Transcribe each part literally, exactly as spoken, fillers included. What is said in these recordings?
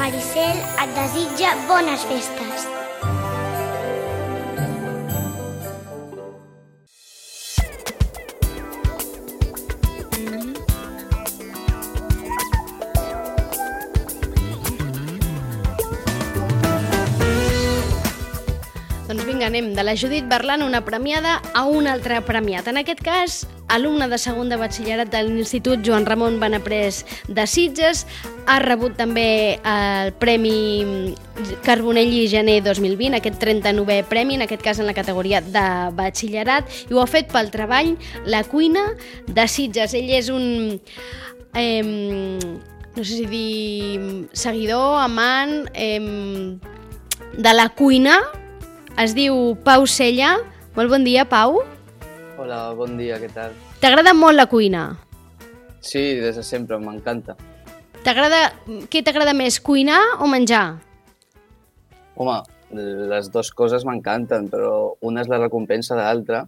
Maricel et desitja bones festes. Doncs vinga, anem de la Judit Berlan, una premiada, a un altre premiat. En aquest cas, alumne de segon de batxillerat de l'Institut Joan Ramon Benaprés de Sitges, ha rebut també el Premi Carbonell i Gener dos mil vint, aquest trenta-novè premi, en aquest cas en la categoria de batxillerat, i ho ha fet pel treball La Cuina de Sitges. Ell és un... Eh, no sé si dir seguidor, amant eh, de la cuina. Es diu Pau Sella. Molt bon dia, Pau. Hola, bon dia, què tal? T'agrada molt la cuina? Sí, des de sempre, m'encanta. T'agrada... Què t'agrada més, cuinar o menjar? Home, les dues coses m'encanten, però una és la recompensa de l'altra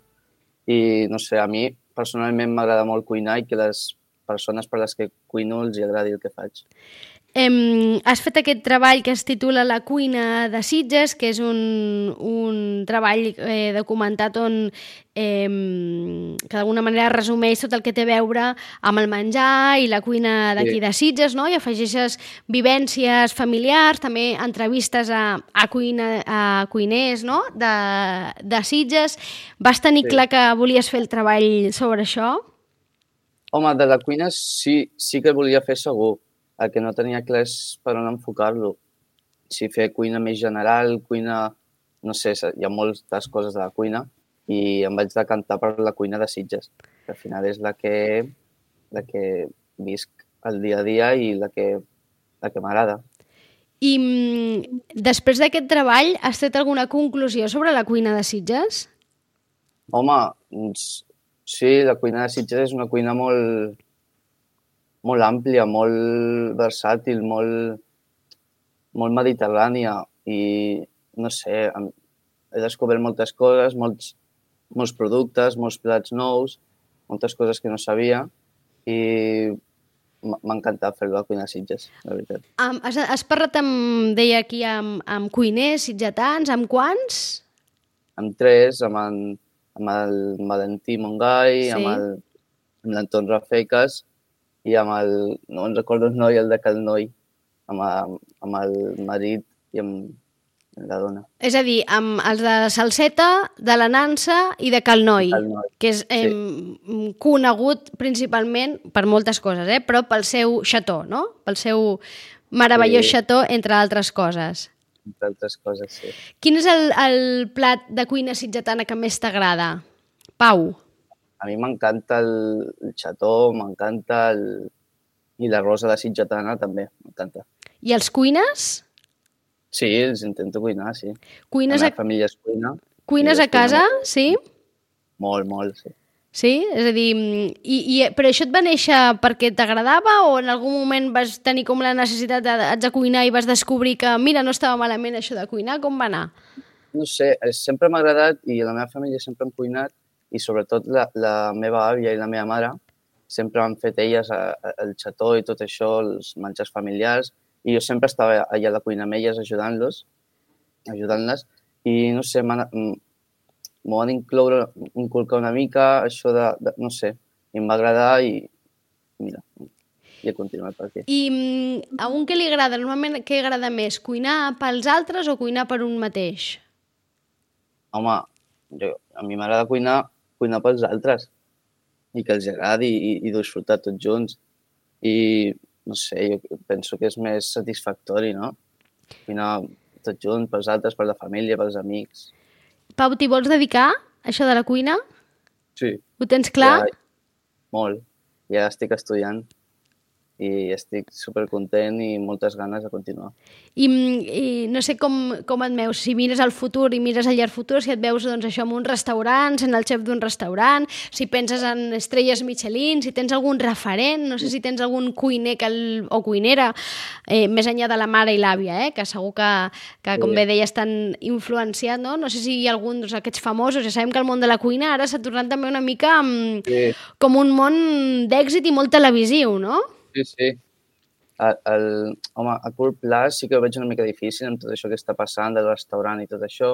i, no sé, a mi personalment m'agrada molt cuinar i que les persones per les que cuino els agradi el que faig. Eh, has fet aquest treball que es titula La Cuina de Sitges, que és un, un treball eh, documentat on eh, que d'alguna manera resumeix tot el que té a veure amb el menjar i la cuina d'aquí Sí. de Sitges, no? I afegeixes vivències familiars, també entrevistes a, a, cuina, a cuiners, no? de, de Sitges. Vas tenir Sí. clar que volies fer el treball sobre això? Home, de la cuina sí, sí que volia fer segur. El que no tenia clar és per on enfocar-lo. Si fer cuina més general, cuina... No sé, hi ha moltes coses de la cuina i em vaig decantar per la cuina de Sitges, que al final és la que, la que visc el dia a dia i la que, la que m'agrada. I mm, després d'aquest treball, has tret alguna conclusió sobre la cuina de Sitges? Home, doncs, sí, la cuina de Sitges és una cuina molt, molt àmplia, molt versàtil, molt, molt mediterrània i, no sé, he descobert moltes coses, molts, molts productes, molts plats nous, moltes coses que no sabia i m'ha encantat fer la cuina de Sitges, la veritat. Um, has, has parlat, amb, deia aquí, amb, amb cuiners sitgetans, amb quants? Amb tres, amb, en, amb el Valentí Mongai, Sí. amb el- amb l'Anton Rafecas i amb el, no em recordo el noi, el de Cal Noi, amb, amb el marit i amb la dona. És a dir, amb els de Salseta, de la Nansa i de Cal Noi, Cal Noi, que és eh, conegut principalment per moltes coses, eh? Però pel seu xató, no? Pel seu meravellós Sí. xató, entre altres coses. Entre altres coses, sí. Quin és el, el plat de cuina sitgetana que més t'agrada? Pau. A mi m'encanta el, el xató, m'encanta el... i la rosa de sitgetana també, m'encanta. I els cuines? Sí, els intento cuinar, sí. Cuines La a, meva família es cuina. cuines i a es cuina casa, molt. sí? Molt, molt, sí. Sí? És a dir, i, i, però això et va néixer perquè t'agradava o en algun moment vas tenir com la necessitat de, haig de cuinar i vas descobrir que, mira, no estava malament això de cuinar? Com va anar? No sé, eh, sempre m'ha agradat i la meva família sempre hem cuinat i sobretot la, la meva àvia i la meva mare sempre han fet elles a, a, el xató i tot això, els menjars familiars, i jo sempre estava allà a la cuina amb elles ajudant-los, ajudant-les, i no sé, m'ho van incloure, inculcar una mica això de, de, no sé, i em va agradar i mira, i he continuat per aquí. I mm, a un què li agrada? Normalment què agrada més? Cuinar pels altres o cuinar per un mateix? Home, jo, a mi m'agrada cuinar, cuinar pels altres i que els agradi i, i disfrutar tots junts. I, no sé, jo penso que és més satisfactori, no? Cuinar tots junts, pels altres, per la família, pels amics. Pau, t'hi vols dedicar, això de la cuina? Sí. Ho tens clar? Ja, molt. Ja estic estudiant i estic supercontent i moltes ganes de continuar. I, i no sé com, com et veus, si mires al futur i mires al llarg futur, si et veus doncs, això en un restaurant, sent el xef d'un restaurant, si penses en estrelles Michelin, si tens algun referent, no sé si tens algun cuiner que el, o cuinera, eh, més enllà de la mare i l'àvia, eh, que segur que, que com Sí. bé deies, estan influenciat, no? No sé si hi ha algun d'aquests famosos, ja sabem que el món de la cuina ara s'ha tornat també una mica um, Sí. com un món d'èxit i molt televisiu, no? Sí, sí. el, el, home, a curt plaç sí que ho veig una mica difícil amb tot això que està passant del restaurant i tot això,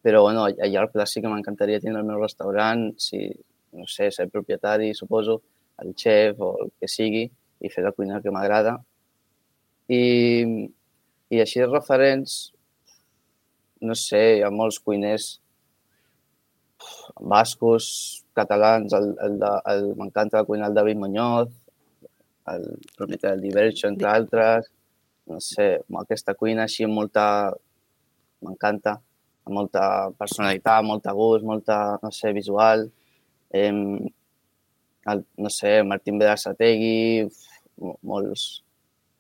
però bueno, a llarg plaç sí que m'encantaria tenir el meu restaurant, si, no sé, ser propietari, suposo, el xef o el que sigui, i fer la cuina que m'agrada. I, I així de referents, no sé, hi ha molts cuiners bascos, catalans, el, el, de- el, m'encanta la cuina del David Muñoz, el propietari del Diverso, entre altres. No sé, aquesta cuina així amb molta... M'encanta, amb molta personalitat, molta gust, molta, no sé, visual. Eh, el, no sé, Martín Berasategui, molts...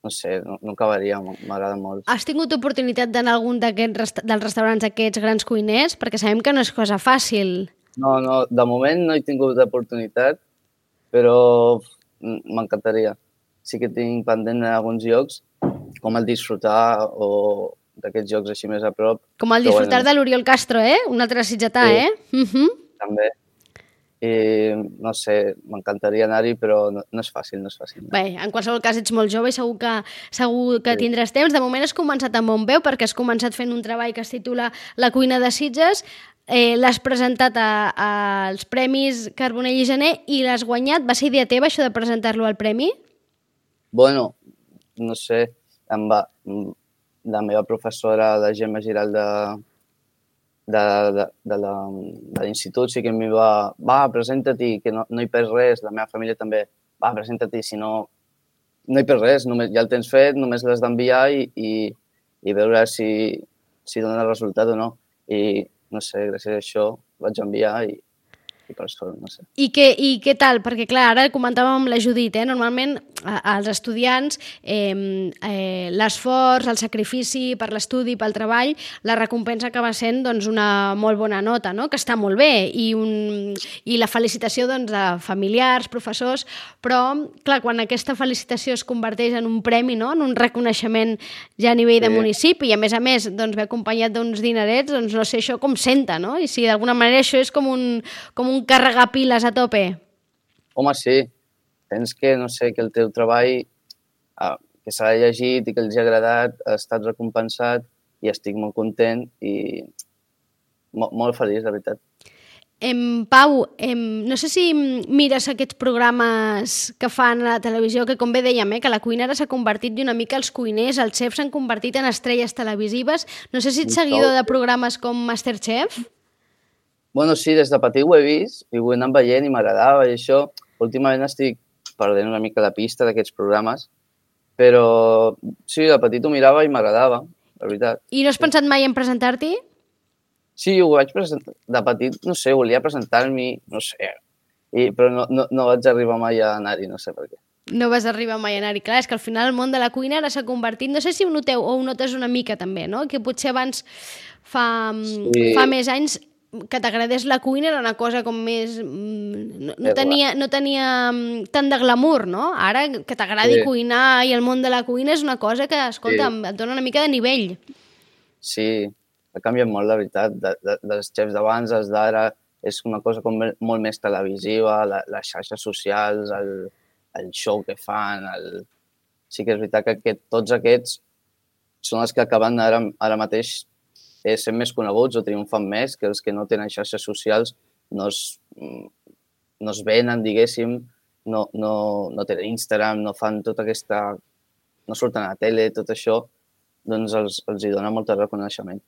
No sé, no, no acabaria, m'agrada molt. Has tingut oportunitat d'anar a algun d'aquests resta dels restaurants d'aquests grans cuiners? Perquè sabem que no és cosa fàcil. No, no, de moment no he tingut oportunitat, però m'encantaria. Sí que tinc pendent en alguns llocs, com el Disfrutar o d'aquests jocs així més a prop. Com el Disfrutar bueno, de l'Oriol Castro, eh? Un altre sitgetà, sí, eh? Uh -huh. També. I, no sé, m'encantaria anar-hi, però no, no és fàcil, no és fàcil. No. Bé, en qualsevol cas ets molt jove i segur que, segur que sí. tindràs temps. De moment has començat amb bon peu, perquè has començat fent un treball que es titula La cuina de Sitges, eh, l'has presentat a, a, als Premis Carbonell i Gener i l'has guanyat. Va ser idea teva, això de presentar-lo al premi? Bueno, no sé, em va, la meva professora, la Gemma Giralt de, de, de, de l'institut, sí que m'hi va, va, presenta-t'hi, que no, no hi perds res, la meva família també, va, presenta-t'hi, si no, no hi perds res, només, ja el tens fet, només l'has d'enviar i, i, i veure si, si dona resultat o no. I, no sé, gràcies a això vaig enviar i, i per sort, no sé. I què, I què tal? Perquè, clar, ara comentàvem amb la Judit, eh? Normalment als estudiants eh, eh, l'esforç, el sacrifici per l'estudi, pel treball, la recompensa acaba sent doncs, una molt bona nota, no? Que està molt bé, i, un, i la felicitació doncs, de familiars, professors, però, clar, quan aquesta felicitació es converteix en un premi, no? En un reconeixement ja a nivell sí. de municipi, i a més a més doncs, ve acompanyat d'uns dinerets, doncs no sé això com senta, no? I si d'alguna manera això és com un, com un carregar piles a tope. Home, sí. Tens que, no sé, que el teu treball, eh, que s'ha llegit i que els ha agradat, ha estat recompensat i estic molt content i molt, molt feliç, de veritat. Em, Pau, em, no sé si mires aquests programes que fan a la televisió, que com bé dèiem, eh, que la cuina ara s'ha convertit i una mica els cuiners, els xefs s'han convertit en estrelles televisives. No sé si ets seguidor de programes com Masterchef? Bueno, sí, des de petit ho he vist i ho he anat veient i m'agradava i això. Últimament estic perdent una mica la pista d'aquests programes, però sí, de petit ho mirava i m'agradava, la veritat. I no has pensat mai en presentar-t'hi? Sí, ho vaig presentar. De petit, no sé, volia presentar-m'hi, no sé, i, però no, no, no vaig arribar mai a anar-hi, no sé per què. No vas arribar mai a anar-hi. Clar, és que al final el món de la cuina ara s'ha convertit, no sé si ho noteu o ho notes una mica també, no? Que potser abans, fa, sí. fa més anys, que t'agradés la cuina era una cosa com més... No, no, tenia, no tenia tant de glamour, no? Ara, que t'agradi sí. cuinar i el món de la cuina és una cosa que, escolta, sí. et dona una mica de nivell. Sí, ha canviat molt, la veritat. De, de, dels xefs d'abans, els d'ara, és una cosa com molt més televisiva, la, les xarxes socials, el, el show que fan... El... Sí que és veritat que aquest, tots aquests són els que acaben ara, ara mateix sent més coneguts o triomfant més, que els que no tenen xarxes socials no es, no es venen, diguéssim, no, no, no tenen Instagram, no fan tota aquesta... no surten a la tele, tot això, doncs els, els hi dona molt de reconeixement.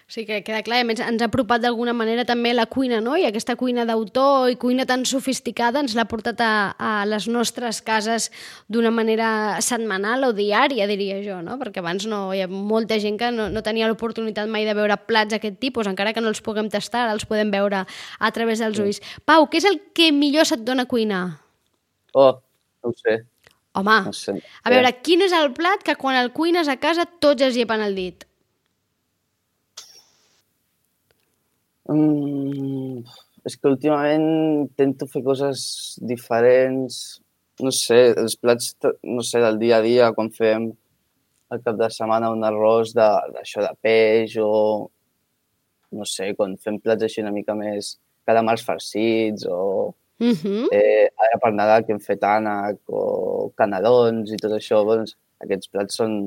Sí, que queda clar. A més, ens ha apropat d'alguna manera també la cuina, no? I aquesta cuina d'autor i cuina tan sofisticada ens l'ha portat a, a les nostres cases d'una manera setmanal o diària, diria jo, no? Perquè abans no, hi ha molta gent que no, no tenia l'oportunitat mai de veure plats d'aquest tipus, encara que no els puguem tastar, ara els podem veure a través dels ulls. Pau, què és el que millor se't dona cuinar? Oh, no ho sé. Home, no sé. A veure, quin és el plat que quan el cuines a casa tots es llepen el dit? Mm, és que últimament intento fer coses diferents, no sé, els plats, no sé, del dia a dia, quan fem al cap de setmana un arròs d'això de, de peix o, no sé, quan fem plats així una mica més calamars farcits o Uh-huh. Eh, ara per Nadal que hem fet ànec o canelons i tot això, doncs, aquests plats són...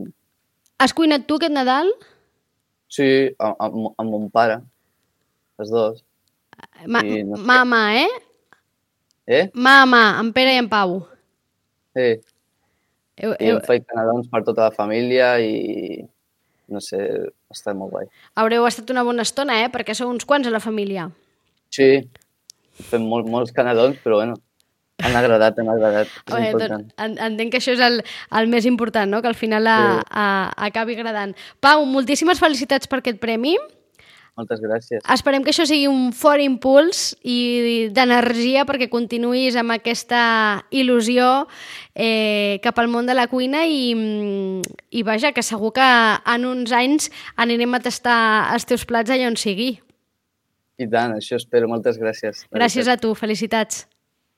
Has cuinat tu aquest Nadal? Sí, amb, amb, amb mon pare, els dos. Ma I no sé. Mama, eh? Eh? Mama, en Pere i en Pau. Sí, Eu, i eu, hem fet canelons per tota la família i, no sé, està molt guai. haureu estat una bona estona, eh? Perquè sou uns quants a la família. Sí, fem molt, molts canelons, però bueno, han agradat, han agradat, és Bé, important. doncs, en- entenc que això és el, el més important, no? Que al final a, Sí. a, acabi agradant. Pau, moltíssimes felicitats per aquest premi. Moltes gràcies. Esperem que això sigui un fort impuls i d'energia perquè continuïs amb aquesta il·lusió eh, cap al món de la cuina i, i vaja, que segur que en uns anys anirem a tastar els teus plats allà on sigui. I tant, això espero. Moltes gràcies. Gràcies a tu, felicitats.